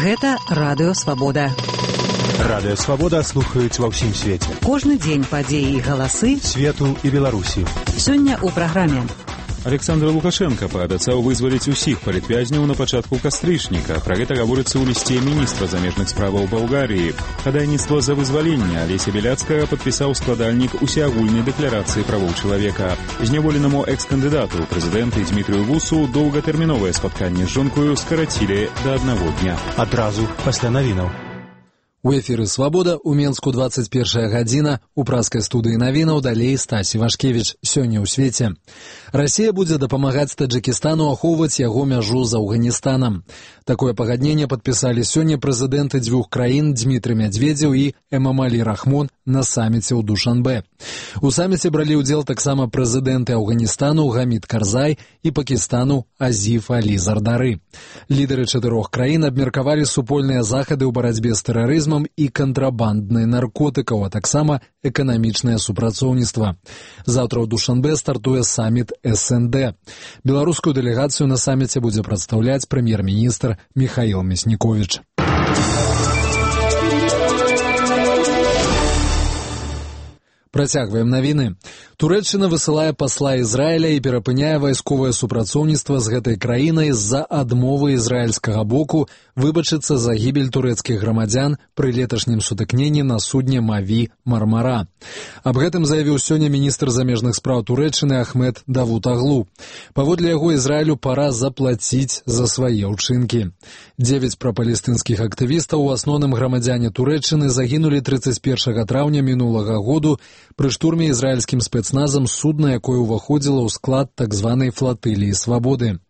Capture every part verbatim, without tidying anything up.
Гэта Радыё Свабода. Радыё Свабода слухаюць ва ўсім свеце. Кожны дзень падзеі і галасы свету і Беларусі. Сёння ў праграме. Александр Лукашенко паабяцаў вызваліць усіх палітвязняў на пачатку кастрычніка. Пра гэта гаворыцца ў лісце міністра замежных справаў Балгарыі. Хадайніцтва за вызваленне Алеся Беляцкага падпісаў складальнік усеагульнай дэкларацыі правоў чалавека. Зняволенаму экс-кандыдату прэзідэнта Дмітрыю Гусу доўгатэрміновае спатканне з жонкою скарацілі да аднаго дня. Адразу пасля навінаў. У эфіры «Свабода» у Менску двадцать первая гадзіна, у праскай студыі навінаў далей Стасі Вашкевіч. Сёння ў свеце. Расія будзе дапамагаць Таджыкістану ахоўваць яго мяжу з Афганістанам. Такое пагадненне падпісалі сёння прэзідэнты дзвюх краін Дмітрый Медведзеў і Эмомали Рахмон на саміце ў Душанбе. У саміце бралі ўдзел таксама прэзідэнты Афганістану Гамід Карзай і Пакістану Азіф Алі Зардары. Лідары чатырох краін абмеркавалі супольныя захады ў барацьбе з тэрарызмам і кантрабанднай наркотыкаў, а таксама эканамічнае супрацоўніцтва. Заўтра ў Душанбе стартуе саміт эс эн дэ. Беларускую дэлегацыю на саміце будзе прадстаўляць прэм'ер-міністр Міхаіл Мясніковіч. Працягваем навіны. Турэччына высылае пасла Ізраіля і перапыняе вайсковае супрацоўніцтва з гэтай краінай з-за адмовы ізраільскага боку выбачыцца за гібель турэцкіх грамадзян пры леташнім сутыкненні на судне Маві Мармара. Аб гэтым заявіў сёння міністр замежных спраў Турэччыны Ахмед Давутаглу. Паводле яго Ізраілю пара заплаціць за свае ўчынкі. Дзевяць прапалестынскіх актывістаў, у асноўным грамадзяне Турэччыны, загінулі трыццаць першага траўня мінулага году пры штурме ізраільскім спецназам судна, якое ўваходзіла ў склад так званай флатыліі свабоды.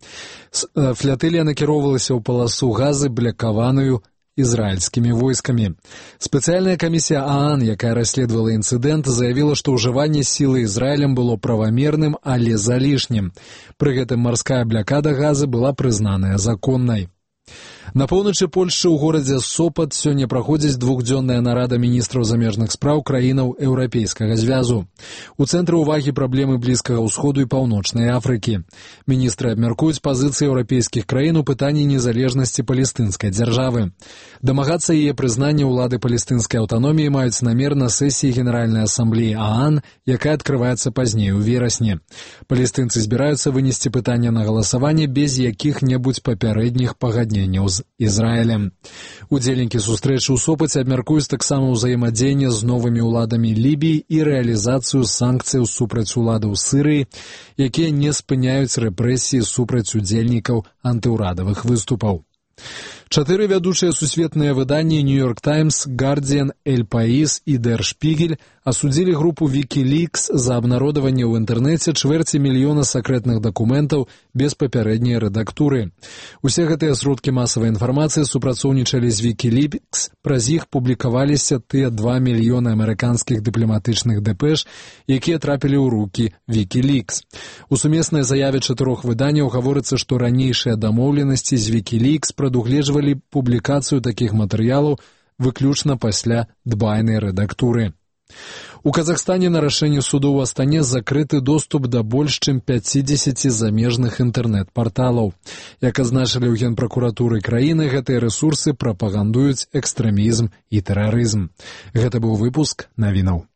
Флатылія накіроўвалася ў паласу газы, блякаваную ізраільскімі войскамі. Спецыяльная камісія ААН, якая расследавала інцыдэнт, заявіла, што ўжыванне сілы Ізраілем было правамерным, але залішнім. Пры гэтым марская блякада газы была прызнаная законнай. На поўначы Польшчы ў горадзе Сопат сёння праходзіць двухдзённая нарада міністраў замежных спраў краінаў Еўрапейскага звязу. У цэнтры ўвагі праблемы Блізкага ўсходу і Паўночнай Афрыкі. Міністры абмяркуюць пазіцыі еўрапейскіх краін у пытанні незалежнасці палестынскай дзяржавы. Дамагацца яе прызнання ўлады палестынскай аўтаноміі маюць намер на сесіі Генеральнай асамблеі ААН, якая адкрываецца пазней у верасні. Палестынцы збіраюцца вынесці пытанне на галасаванне без якіх-небудзь папярэдніх пагадненняў з Ізраілем. Удзельнікі сустрэчы ў Сопаце абмяркуюць таксама ўзаемадзеянне з новымі ўладамі Лібіі і рэалізацыю санкцыяў супраць уладаў Сірыі, якія не спыняюць рэпрэсіі супраць удзельнікаў антыўрадавых выступаў. Чатыры вядучыя сусветныя выданні «Нью-Йорк Таймс», «Гардзіан», «Эль Паís» і «Дэр Шпігель» асудзілі групу «Вікілікс» за абнародаванне ў інтэрнэце чвэрці мільёна сакрэтных дакументаў без папярэдняй рэдактуры. Усе гэтыя сродкі масавай інфармацыі супрацоўнічалі з «Вікілікс», праз іх публікаваліся тыя два мільёны амерыканскіх дыпламатычных дэпэш, якія трапілі ў рукі «Вікілікс». У сумеснай заяве чатырох выданняў гаворыцца, што ранейшыя дамоўленасці з «Вікілікс» прадугледжвалі публікацыю такіх матэрыялаў выключна пасля дбайнай рэдактуры. У Казахстане на рашэнне суду ў Астане закрыты доступ да больш чым пяцідзесяці замежных інтэрнэт-парталаў. Як азначылі ў генпракуратуры краіны, гэтыя рэсурсы прапагандуюць экстрэмізм і тэрарызм. Гэта быў выпуск навінаў.